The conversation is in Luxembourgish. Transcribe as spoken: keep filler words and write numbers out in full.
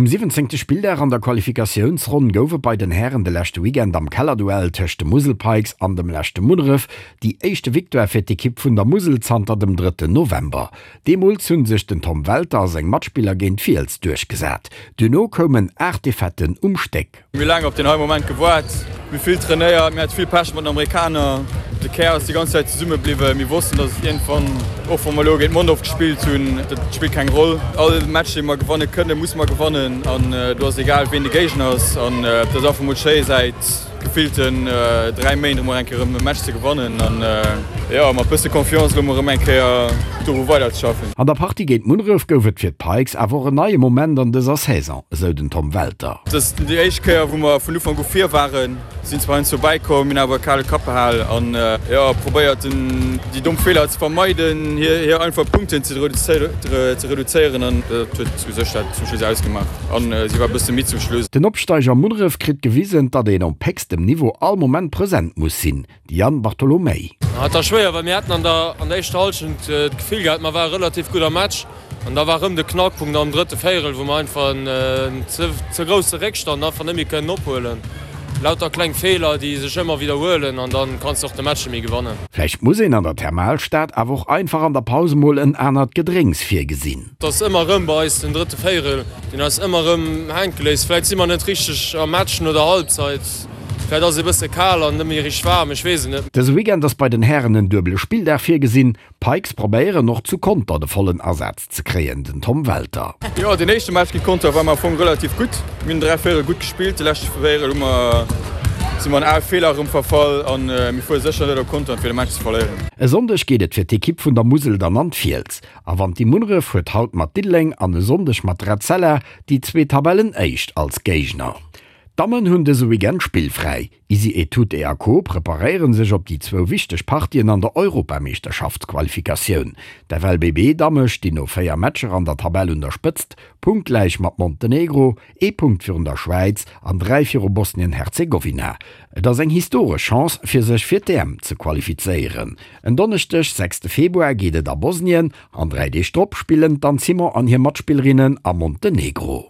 Um siwwenzéngte Spilldag an der Qualifikatiounsronn gouf et bei den Hären de leschte Weekend am Kellerduell tëscht de Musel Pikes an dem leschte Munneref déi éischte Victoire fir d'Ekipp vun der Musel zanter dem drëtten November. Deemools hu sech den Tom Welter a seng Matspiller géint d'Fiels duerchgesat. Duerno koumen aacht Defaiten um Stéck. Mir hu laang op deen hei Moment gewaart. Mir hu vill trainéiert, mir hate vill Pech mat den Amerikaner. De Kär ass déi ganz Zäit zesumme bliwwen. Mir wossten, datt et iergendwann, och wa mer elo géint Mondorf gespillt hunn, dat spillt keng Roll. All Match, dee mer gewanne kënnen, musse mer gewannen an do ass egal, ween de Géigner ass. An et ass einfach mol schéi, säit gefillten dräi Méint emol eng Kéier erëm e Match ze gewannen an jo, mat bësse Confiance elo mol erëm eng Kéier doru weiderzeschaffen. An der Partie géint Munneref gouf et fir d'Pikes awer och en neie Moment an dëser Saison, esou den Tom Welter. Et ass déi éischt Kéier, wou mer vun Ufank u vir waren. Sinn zwar heiansdo bäikomm, hunn awer e kale Kapp behal an jo probéiert déi domm Feeler ze vermeiden, hir einfach Punkten ze reduzéieren an dat huet u sech dat zum Schluss ausgemaach an si war e bësse midd zum Schluss. Den Opsteiger Munneref kritt gewisen, datt een op héchstem Niveau all Moment present muss sinn, de Yann Bartolomei. Et war schwéier, well mir haten an der an der éischter Hallschent d'Gefill gehat, mer ware relativ gutt am Match. An da war erëm de Knackpunkt am drëtte Véierel, wou mer einfach en ze grousse Réckstand einfach net méi kënnen ophuelen. Lauter kleng Feeler, déi sech ëmmer widderhuelen an da kanns de och de Match net méi gewannen. Vläicht muss een an der Thermalstad awer och einfach an der Paus emol en anert Gedrénks virgesinn. Et ass ëmmer erëm bei eis den drëtte Véierel, deen eis ëmmer erëm hänke léisst. Vläicht si mer net richteg am Match no der Halbzeit, vläicht ass et e bësse kal an net méi richteg waarm, ech weess et net. Dëse Weekend ass bei den Hären en duebele Spilldag virgesinn. D'Pikes probéieren och zu Conter de vollen Asaz ze kréien, den Tom Welter. Jo, deen éischte Match géint Conter war mer am Fong relativ gutt. Mir hunn dräi Véierel gutt gespillt, de leschte Véierel hu mer, si mer an al Feeler erëm verfall a mir fuere sécher net op Conter fir de Match ze verléieren. E Sonndeg geet et fir d'Ekipp vun der Musel dann an d'Fiels. A Wanti Munneref huet haut mat Diddeleng an e Sonndeg mat Etzella déi zwee Tabellenéischt als Géigner. D'Dammen hunn dëse Weekend spillfräi. Isi Etute a Co preparéiere sech op déi zwou wichteg Partien an der Europameeschterschaftsqualifikatioun. D'F L B B Damme stinn no véier Matcher an der Tabell un der Spëtzt, punktgläich mat Montenegro, ee Punkt virun der Schwäiz an dräi viru Bosnien-Herzegowina. Et ass eng historesch Chance fir sech fir d'E M ze qualifizéieren. En Donneschdeg, sechste Februar, geet et a Bosnien an dräi Deeg drop spillen d'Anne Simon an hir Matspillerinnen a Montenegro.